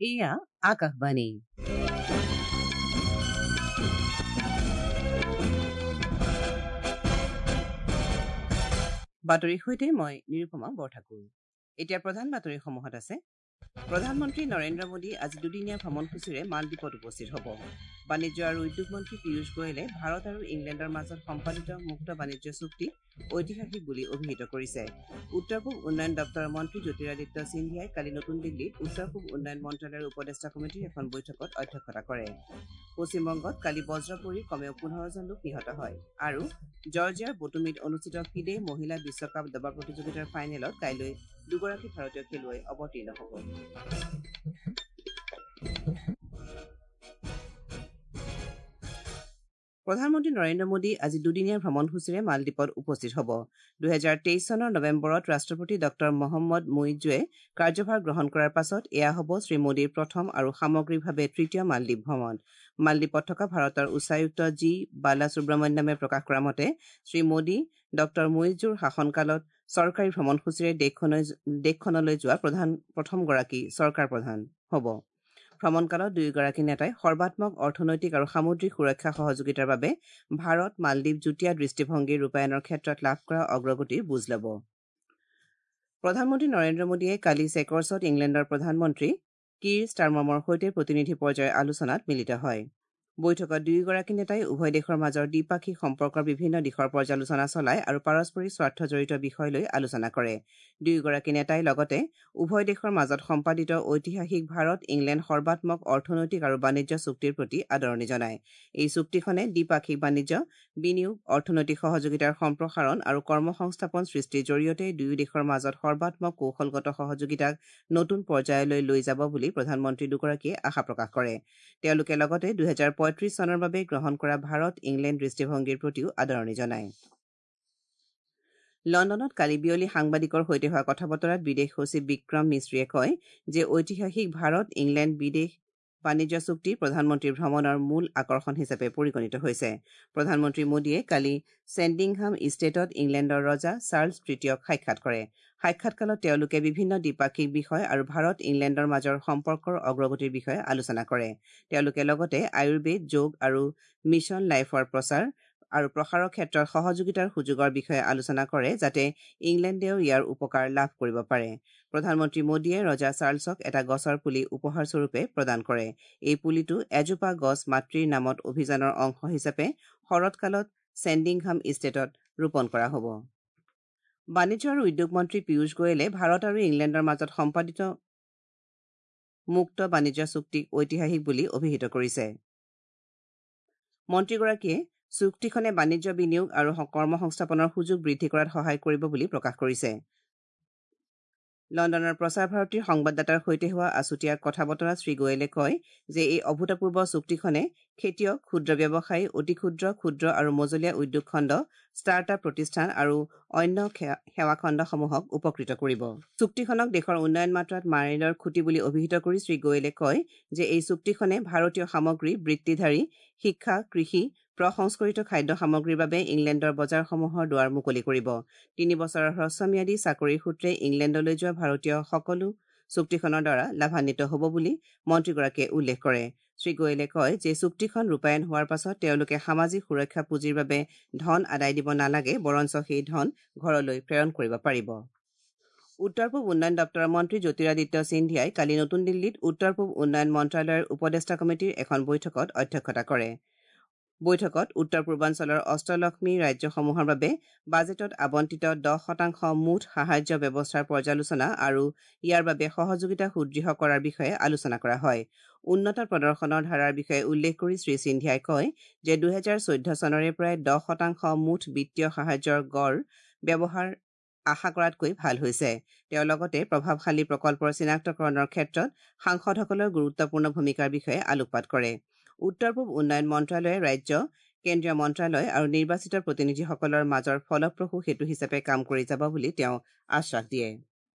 এয়া আকাশবাণী। বাতৰিৰ সৈতে মই নিৰুপমা বৰঠাকুৰ। এতিয়া প্ৰধান বাতৰিসমূহত আছে: প্ৰধানমন্ত্ৰী নৰেন্দ্ৰ মোদী আজি দুদিনীয়া ভ্ৰমণসূচীৰে মালদ্বীপত উপস্থিত হ'ব। বাণিজ্য আৰু উদ্যোগ মন্ত্ৰী পীয়ুষ গোৱেলে ভাৰত আৰু ইংলেণ্ডৰ মাজত সম্পাদিত মুক্ত বাণিজ্য চুক্তি ঐতিহাসিক বুলি অভিহিত কৰিছে। উত্তৰ পূব উন্নয়ন দপ্তৰৰ মন্ত্ৰী জ্যোতিৰাদিত্য সিন্ধিয়াই কালি নতুন দিল্লীত উত্তৰ পূব উন্নয়ন মন্ত্ৰালয়ৰ উপদেষ্টা কমিটিৰ এখন বৈঠকত অধ্যক্ষতা কৰে। পশ্চিমবংগত কালি বজ্ৰ পৰি কমেও 15জন লোক নিহত হয়। আৰু জৰ্জিয়াৰ বটুমিত অনুষ্ঠিত ফিডে মহিলা বিশ্বকাপ দবা প্ৰতিযোগিতাৰ ফাইনেলত কাইলৈ দুগৰাকী ভাৰতীয় খেলুৱৈ অৱতীৰ্ণ হ'ব। প্ৰধানমন্ত্ৰী নৰেন্দ্ৰ মোদী আজি দুদিনীয়া ভ্ৰমণসূচীৰে মালদ্বীপত উপস্থিত হ'ব। 2023 চনৰ নৱেম্বৰত ৰাষ্ট্ৰপতি ডঃ মহম্মদ মুইজুৱে কাৰ্যভাৰ গ্ৰহণ কৰাৰ পাছত এয়া হ'ব শ্ৰীমোদীৰ প্ৰথম আৰু সামগ্ৰিকভাৱে তৃতীয় মালদ্বীপ ভ্ৰমণ। মালদ্বীপত থকা ভাৰতৰ উচ্চায়ুক্ত জি বালাসুব্ৰমণ্যমে প্ৰকাশ কৰা মতে শ্ৰীমোদী ডঃ মুইজুৰ শাসনকালত চৰকাৰী ভ্ৰমণসূচীৰে দেশখনলৈ যোৱা প্ৰথমগৰাকী চৰকাৰ প্ৰধান হ'ব। ভ্ৰমণকালত দুয়োগৰাকী নেতাই সৰ্বাত্মক অৰ্থনৈতিক আৰু সামুদ্ৰিক সুৰক্ষা সহযোগিতাৰ বাবে ভাৰত মালদ্বীপ যুটীয়া দৃষ্টিভংগী ৰূপায়ণৰ ক্ষেত্ৰত লাভ কৰা অগ্ৰগতিৰ বুজ ল'ব। প্ৰধানমন্ত্ৰী নৰেন্দ্ৰ মোদীয়ে কালি চেকৰ্ছত ইংলেণ্ডৰ প্ৰধানমন্ত্ৰী কীৰ ষ্টাৰমাৰৰ সৈতে প্ৰতিনিধি পৰ্যায়ৰ আলোচনাত মিলিত হয়। বৈঠকত দুয়োগৰাকী নেতাই উভয় দেশৰ মাজৰ দ্বিপাক্ষিক সম্পৰ্কৰ বিভিন্ন দিশৰ পৰ্যালোচনা চলায় আৰু পাৰস্পৰিক স্বাৰ্থজড়িত বিষয় লৈ আলোচনা কৰে। দুয়োগৰাকী নেতাই লগতে উভয় দেশৰ মাজত সম্পাদিত ঐতিহাসিক ভাৰত ইংলেণ্ড সৰ্বাত্মক অৰ্থনৈতিক আৰু বাণিজ্য চুক্তিৰ প্ৰতি আদৰণি জনায়। এই চুক্তিখনে দ্বিপাক্ষিক বাণিজ্য, বিনিয়োগ, অৰ্থনৈতিক সহযোগিতাৰ সম্প্ৰসাৰণ আৰু কৰ্মসংস্থাপন সৃষ্টিৰ জৰিয়তে দুয়ো দেশৰ মাজত সৰ্বাত্মক কৌশলগত সহযোগিতাক নতুন পৰ্যায়লৈ লৈ যাব বুলি প্ৰধানমন্ত্ৰী দুগৰাকীয়ে আশা প্ৰকাশ কৰে। তেওঁলোকে লগতে 2035 চনৰ বাবে গ্ৰহণ কৰা ভাৰত ইংলেণ্ড দৃষ্টিভংগীৰ প্ৰতিও আদৰণি জনায়। লণ্ডনত কালি বিয়লি সাংবাদিকৰ সৈতে হোৱা কথা বতৰাত বিদেশ সচিব বিক্ৰম মিশ্ৰীয়ে কয় যে ঐতিহাসিক ভাৰত ইংলেণ্ড বিদেশ বাণিজ্য চুক্তি প্ৰধানমন্ত্ৰীৰ ভ্ৰমণৰ মূল আকৰ্ষণ হিচাপে পৰিগণিত হৈছে। প্ৰধানমন্ত্ৰী মোদীয়ে কালি চেণ্ডিংহাম ইষ্টেটত ইংলেণ্ডৰ ৰজা চাৰ্লছ তৃতীয়ক সাক্ষাৎ কৰে। সাক্ষাৎকালত তেওঁলোকে বিভিন্ন দ্বিপাক্ষিক বিষয় আৰু ভাৰত ইংলেণ্ডৰ মাজৰ সম্পৰ্কৰ অগ্ৰগতিৰ বিষয়ে আলোচনা কৰে। তেওঁলোকে লগতে আয়ুৰ্বেদ, যোগ আৰু মিছন লাইফৰ প্ৰচাৰ আৰু প্ৰসাৰৰ ক্ষেত্ৰত সহযোগিতাৰ সুযোগৰ বিষয়ে আলোচনা কৰে, যাতে ইংলেণ্ডেও ইয়াৰ উপকাৰ লাভ কৰিব পাৰে। প্ৰধানমন্ত্ৰী মোদীয়ে ৰজা চাৰ্লছক এটা গছৰ পুলি উপহাৰস্বৰূপে প্ৰদান কৰে। এই পুলিটো এজোপা গছ মাতৃৰ নামত অভিযানৰ অংশ হিচাপে শৰৎকালত চেণ্ডিংহাম ইষ্টেটত ৰোপণ কৰা হ'ব। বাণিজ্য আৰু উদ্যোগ মন্ত্ৰী পীয়ুষ গোৱেলে ভাৰত আৰু ইংলেণ্ডৰ মাজত সম্পাদিত মুক্ত বাণিজ্য চুক্তিক ঐতিহাসিক বুলি অভিহিত কৰিছে। মন্ত্ৰীগৰাকীয়ে চুক্তিখনে বাণিজ্য, বিনিয়োগ আৰু কৰ্মসংস্থাপনৰ সুযোগ বৃদ্ধি কৰাত সহায় কৰিব বুলি প্ৰকাশ কৰিছে। লণ্ডনৰ প্ৰসাৰ ভাৰতীৰ সংবাদদাতাৰ সৈতে হোৱা আছুতীয়া কথা বতৰাত শ্ৰীগোৱেলে কয় যে এই অভূতপূৰ্ব চুক্তিখনে খেতিয়ক, ক্ষুদ্ৰ ব্যৱসায়ী, অতি ক্ষুদ্ৰ, ক্ষুদ্ৰ আৰু মজলীয়া উদ্যোগ খণ্ড, ষ্টাৰ্ট আপ প্ৰতিষ্ঠান আৰু অন্য সেৱা খণ্ডসমূহক উপকৃত কৰিব। চুক্তিখনক দেশৰ উন্নয়ন মাত্ৰাত মাইলৰ খুঁটি বুলি অভিহিত কৰি শ্ৰীগোৱেলে কয় যে এই চুক্তিখনে ভাৰতীয় সামগ্ৰী, বৃত্তিধাৰী, শিক্ষা, কৃষি, প্ৰসংস্কৰিত খাদ্য সামগ্ৰীৰ বাবে ইংলেণ্ডৰ বজাৰসমূহৰ দুৱাৰ মুকলি কৰিব। 3 বছৰৰ হ্ৰস্বম্যাদী চাকৰিৰ সূত্ৰে ইংলেণ্ডলৈ যোৱা ভাৰতীয় সকলো চুক্তিখনৰ দ্বাৰা লাভান্বিত হ'ব বুলি মন্ত্ৰীগৰাকীয়ে উল্লেখ কৰে। শ্ৰীগোৱেলে কয় যে চুক্তিখন ৰূপায়ণ হোৱাৰ পাছত তেওঁলোকে সামাজিক সুৰক্ষা পুঁজিৰ বাবে ধন আদায় দিব নালাগে, বৰঞ্চ সেই ধন ঘৰলৈ প্ৰেৰণ কৰিব পাৰিব। উত্তৰ পূব উন্নয়ন দপ্তৰৰ মন্ত্ৰী জ্যোতিৰাদিত্য সিন্ধিয়াই কালি নতুন দিল্লীত উত্তৰ পূব উন্নয়ন মন্ত্ৰালয়ৰ উপদেষ্টা কমিটিৰ এখন বৈঠকত অধ্যক্ষতা কৰে। বৈঠকত উত্তৰ পূৰ্বাঞ্চলৰ অষ্টলক্ষ্মী ৰাজ্যসমূহৰ বাবে বাজেটত আবণ্টিত 10% মুঠ সাহায্য ব্যৱস্থাৰ পৰ্যালোচনা আৰু ইয়াৰ বাবে সহযোগিতা সুদৃঢ় কৰাৰ বিষয়ে আলোচনা কৰা হয়। উন্নত প্ৰদৰ্শনৰ ধাৰাৰ বিষয়ে উল্লেখ কৰি শ্ৰী সিন্ধিয়াই কয় যে 2014 চনৰে পৰাই 10% মুঠ বিত্তীয় সাহায্যৰ গড় ব্যৱহাৰ আশা কৰাতকৈ ভাল হৈছে। তেওঁ লগতে প্ৰভাৱশালী প্ৰকল্পৰ চিনাক্তকৰণৰ ক্ষেত্ৰত সাংসদসকলৰ গুৰুত্বপূৰ্ণ ভূমিকাৰ বিষয়ে আলোকপাত কৰে। উত্তৰ পূব উন্নয়ন মন্ত্ৰালয়ে ৰাজ্য, কেন্দ্ৰীয় মন্ত্ৰালয় আৰু নিৰ্বাচিত প্ৰতিনিধিসকলৰ মাজৰ ফলপ্ৰসূ সেতু হিচাপে কাম কৰি যাব বুলি তেওঁ আশ্বাস দিয়ে।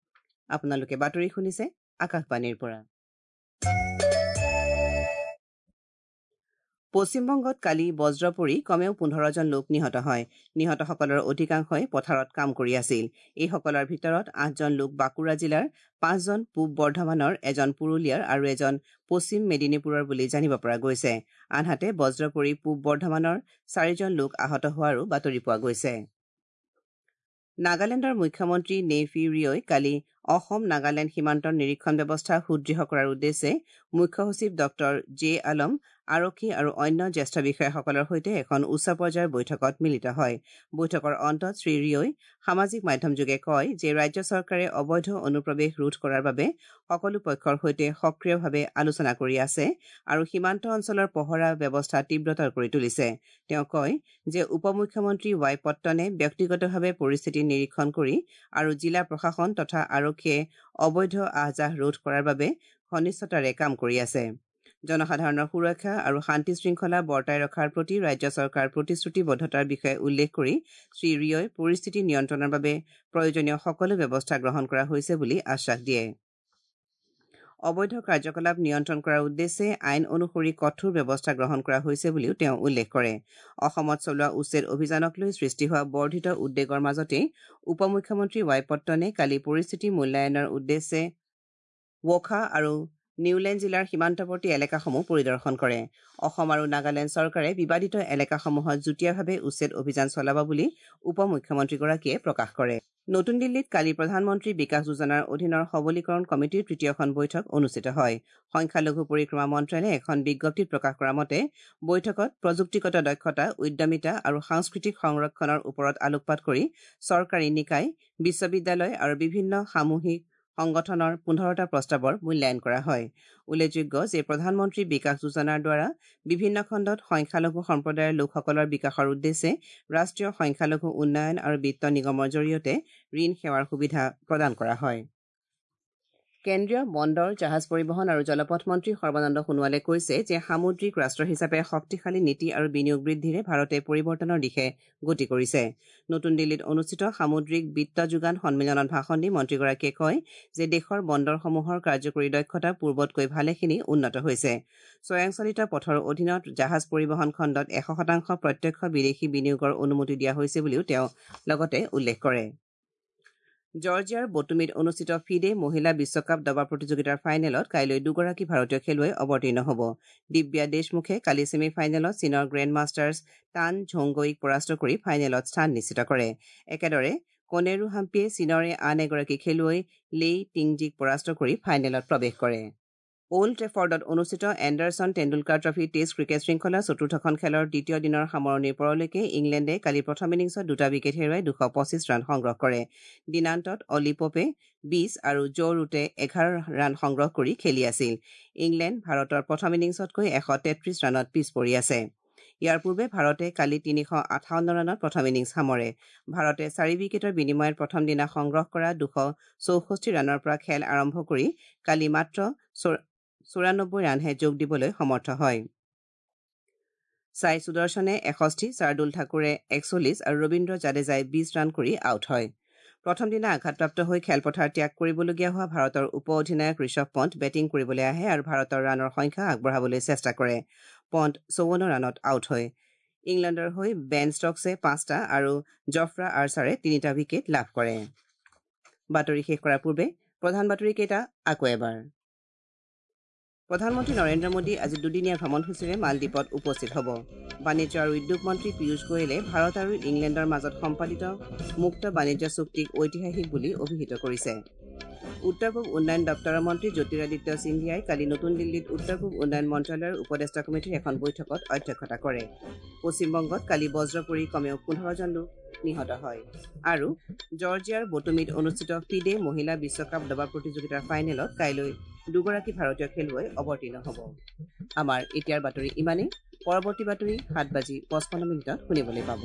আপোনালোকে বাতৰি শুনিছে আকাশবাণীৰ পৰা। পশ্চিমবংগত কালি বজ্ৰ পৰি কমেও 15 জন লোক নিহত হয়। নিহতসকলৰ অধিকাংশই পথাৰত কাম কৰি আছিল। এইসকলৰ ভিতৰত 8 জন লোক বাঁকুৰা জিলাৰ, 5 জন পূব বৰ্ধমানৰ, এজন পুৰুলিয়াৰ আৰু এজন পশ্চিম মেদিনীপুৰৰ বুলি জানিব পৰা গৈছে। আনহাতে বজ্ৰ পৰি পূব বৰ্ধমানৰ 4 জন লোক আহত হোৱাৰো বাতৰি পোৱা গৈছে। নাগালেণ্ডৰ মুখ্যমন্ত্ৰী নেইফি ৰিঅ'ই কালি অসম নাগালেণ্ড সীমান্তৰ নিৰীক্ষণ ব্যৱস্থা সুদৃঢ় কৰাৰ উদ্দেশ্যে মুখ্য সচিব ডক্টৰ জে আলম, আৰক্ষী আৰু অন্য জ্যেষ্ঠ বিষয়াসকলৰ সৈতে এখন উচ্চ পৰ্যায়ৰ বৈঠকত মিলিত হয়। বৈঠকৰ অন্তত শ্ৰী ৰিঅ'ই সামাজিক মাধ্যমযোগে কয় যে ৰাজ্য চৰকাৰে অবৈধ অনুপ্ৰৱেশ ৰোধ কৰাৰ বাবে সকলো পক্ষৰ সৈতে সক্ৰিয়ভাৱে আলোচনা কৰি আছে আৰু সীমান্ত অঞ্চলৰ পহৰা ব্যৱস্থা তীব্ৰতৰ কৰি তুলিছে। তেওঁ কয় যে উপ মুখ্যমন্ত্ৰী ৱাই পট্টনে ব্যক্তিগতভাৱে পৰিস্থিতি নিৰীক্ষণ কৰি আৰু জিলা প্ৰশাসন তথা আৰক্ষীয়ে অবৈধ আহ-যাহ ৰোধ কৰাৰ বাবে ঘনিষ্ঠতাৰে কাম কৰি আছে। জনসাধাৰণৰ সুৰক্ষা আৰু শান্তি শৃংখলা বৰ্তাই ৰখাৰ প্ৰতি ৰাজ্য চৰকাৰ প্ৰতিশ্ৰুতিবদ্ধতাৰ বিষয়ে উল্লেখ কৰি শ্ৰী ৰিঅ'ই পৰিস্থিতি নিয়ন্ত্ৰণৰ বাবে প্ৰয়োজনীয় সকলো ব্যৱস্থা গ্ৰহণ কৰা হৈছে বুলি আশ্বাস দিয়ে। অবৈধ কাৰ্যকলাপ নিয়ন্ত্ৰণ কৰাৰ উদ্দেশ্যে আইন অনুসৰি কঠোৰ ব্যৱস্থা গ্ৰহণ কৰা হৈছে বুলিও তেওঁ উল্লেখ কৰে। অসমত চলোৱা উচ্ছেদ অভিযানক লৈ সৃষ্টি হোৱা বৰ্ধিত উদ্বেগৰ মাজতেই উপ মুখ্যমন্ত্ৰী ৱাই পট্টনে কালি পৰিস্থিতি মূল্যায়নৰ উদ্দেশ্যে ৱোখা আৰু নিউলেণ্ড জিলাৰ সীমান্তৱৰ্তী এলেকাসমূহ পৰিদৰ্শন কৰে। অসম আৰু নাগালেণ্ড চৰকাৰে বিবাদিত এলেকাসমূহত যুটীয়াভাৱে উচ্ছেদ অভিযান চলাব বুলি উপ মুখ্যমন্ত্ৰীগৰাকীয়ে প্ৰকাশ কৰে। নতুন দিল্লীত কালি প্ৰধানমন্ত্ৰী বিকাশ যোজনাৰ অধীনৰ সবলীকৰণ কমিটিৰ তৃতীয়খন বৈঠক অনুষ্ঠিত হয়। সংখ্যালঘু পৰিক্ৰমা মন্ত্ৰালয়ে এখন বিজ্ঞপ্তিত প্ৰকাশ কৰা মতে বৈঠকত প্ৰযুক্তিগত দক্ষতা, উদ্যমিতা আৰু সাংস্কৃতিক সংৰক্ষণৰ ওপৰত আলোকপাত কৰি চৰকাৰী নিকায়, বিশ্ববিদ্যালয় আৰু বিভিন্ন সামূহিক সংগঠনৰ 15টা প্ৰস্তাৱৰ মূল্যায়ন কৰা হয়। উল্লেখযোগ্য যে প্ৰধানমন্ত্ৰী বিকাশ যোজনাৰ দ্বাৰা বিভিন্ন খণ্ডত সংখ্যালঘু সম্প্ৰদায়ৰ লোকসকলৰ বিকাশৰ উদ্দেশ্যে ৰাষ্ট্ৰীয় সংখ্যালঘু উন্নয়ন আৰু বিত্ত নিগমৰ জৰিয়তে ঋণ সেৱাৰ সুবিধা প্ৰদান কৰা হয়। কেন্দ্ৰীয় বন্দৰ, জাহাজ পৰিবহণ আৰু জলপথ মন্ত্ৰী সৰ্বানন্দ সোণোৱালে কৈছে যে সামুদ্ৰিক ৰাষ্ট্ৰ হিচাপে শক্তিশালী নীতি আৰু বিনিয়োগ বৃদ্ধিৰে ভাৰতে পৰিৱৰ্তনৰ দিশে গতি কৰিছে। নতুন দিল্লীত অনুষ্ঠিত সামুদ্ৰিক বিত্ত যোগান সন্মিলনত ভাষণ দি মন্ত্ৰীগৰাকীয়ে কয় যে দেশৰ বন্দৰসমূহৰ কাৰ্যকৰী দক্ষতা পূৰ্বতকৈ ভালেখিনি উন্নত হৈছে। স্বয়ংচালিত পথৰ অধীনত জাহাজ পৰিবহণ খণ্ডত 100% প্ৰত্যক্ষ বিদেশী বিনিয়োগৰ অনুমতি দিয়া হৈছে বুলিও তেওঁ লগতে উল্লেখ কৰে। জৰ্জিয়াৰ বটুমিত অনুষ্ঠিত ফিডে মহিলা বিশ্বকাপ দবা প্ৰতিযোগিতাৰ ফাইনেলত কাইলৈ দুগৰাকী ভাৰতীয় খেলুৱৈ অৱতীৰ্ণ হ'ব। দিব্যা দেশমুখে কালি ছেমি ফাইনেলত চীনৰ গ্ৰেণ্ড মাষ্টাৰ্ছ টান ঝোংগইক পৰাস্ত কৰি ফাইনেলত স্থান নিশ্চিত কৰে। একেদৰে কনেৰু হাম্পিয়ে চীনৰে আন এগৰাকী খেলুৱৈ লেই টিংজিক পৰাস্ত কৰি ফাইনেলত প্ৰৱেশ কৰে। অল্ড ট্ৰেফৰ্ডত অনুষ্ঠিত Anderson Tendulkar trophy test cricket শৃংখলাৰ চতুৰ্থখন খেলৰ দ্বিতীয় দিনৰ সামৰণিৰ পৰলৈকে ইংলেণ্ডে কালি প্ৰথম ইনিংছত 2টা উইকেট হেৰুৱাই 225 ৰান সংগ্ৰহ কৰে। দিনান্তত অলি পপে 20 আৰু জ' ৰুটে 11 ৰান সংগ্ৰহ কৰি খেলি আছিল। ইংলেণ্ড ভাৰতৰ প্ৰথম ইনিংছতকৈ 133 ৰানত পিছ পৰি আছে। ইয়াৰ পূৰ্বে ভাৰতে কালি 358 ৰানত প্ৰথম ইনিংছ সামৰে। ভাৰতে 4 উইকেটৰ বিনিময়ত প্ৰথম দিনা সংগ্ৰহ কৰা 264 ৰানৰ পৰা খেল আৰম্ভ কৰি কালি মাত্ৰ 94 ৰানহে যোগ দিবলৈ সমৰ্থ হয়। ছাই সুদৰ্শনে 61, শাৰ্দুল ঠাকুৰে 41 আৰু ৰবীন্দ্ৰ জাদেজাই 20 ৰান কৰি আউট হয়। প্ৰথম দিনা আঘাতপ্ৰাপ্ত হৈ খেলপথাৰ ত্যাগ কৰিবলগীয়া হোৱা ভাৰতৰ উপ অধিনায়ক ঋষভ পণ্ট বেটিং কৰিবলৈ আহে আৰু ভাৰতৰ ৰানৰ সংখ্যা আগবঢ়াবলৈ চেষ্টা কৰে। পণ্ট 54 ৰানত আউট হয়। ইংলেণ্ডৰ হৈ বেন ষ্টকছে 5টা আৰু জফ্ৰা আৰ্চাৰে 3টা উইকেট লাভ কৰে। বাতৰি শেষ কৰাৰ পূৰ্বে প্ৰধান বাতৰিকেইটা আকৌ এবাৰ। প্ৰধানমন্ত্ৰী নৰেন্দ্ৰ মোদী আজি দুদিনীয়া ভ্ৰমণসূচীৰে মালদ্বীপত উপস্থিত হ'ব। বাণিজ্য আৰু উদ্যোগ মন্ত্ৰী পীয়ুষ গোৱেলে ভাৰত আৰু ইংলেণ্ডৰ মাজত সম্পাদিত মুক্ত বাণিজ্য চুক্তিক ঐতিহাসিক বুলি অভিহিত কৰিছে। উত্তৰ পূব উন্নয়ন দপ্তৰৰ মন্ত্ৰী জ্যোতিৰাদিত্য সিন্ধিয়াই কালি নতুন দিল্লীত উত্তৰ পূব উন্নয়ন মন্ত্ৰালয়ৰ উপদেষ্টা কমিটিৰ এখন বৈঠকত অধ্যক্ষতা কৰে। পশ্চিমবংগত কালি বজ্ৰ পৰি কমেও 15 জন লোক নিহত হয়। আৰু জৰ্জিয়াৰ বটুমিত অনুষ্ঠিত ফিডে মহিলা বিশ্বকাপ দবা প্ৰতিযোগিতাৰ ফাইনেলত কাইলৈ দুগৰাকী ভাৰতীয় খেলুৱৈ অৱতীৰ্ণ হ'ব। আমাৰ এতিয়াৰ বাতৰি ইমানেই। পৰৱৰ্তী বাতৰি 7:55 শুনিবলৈ পাব।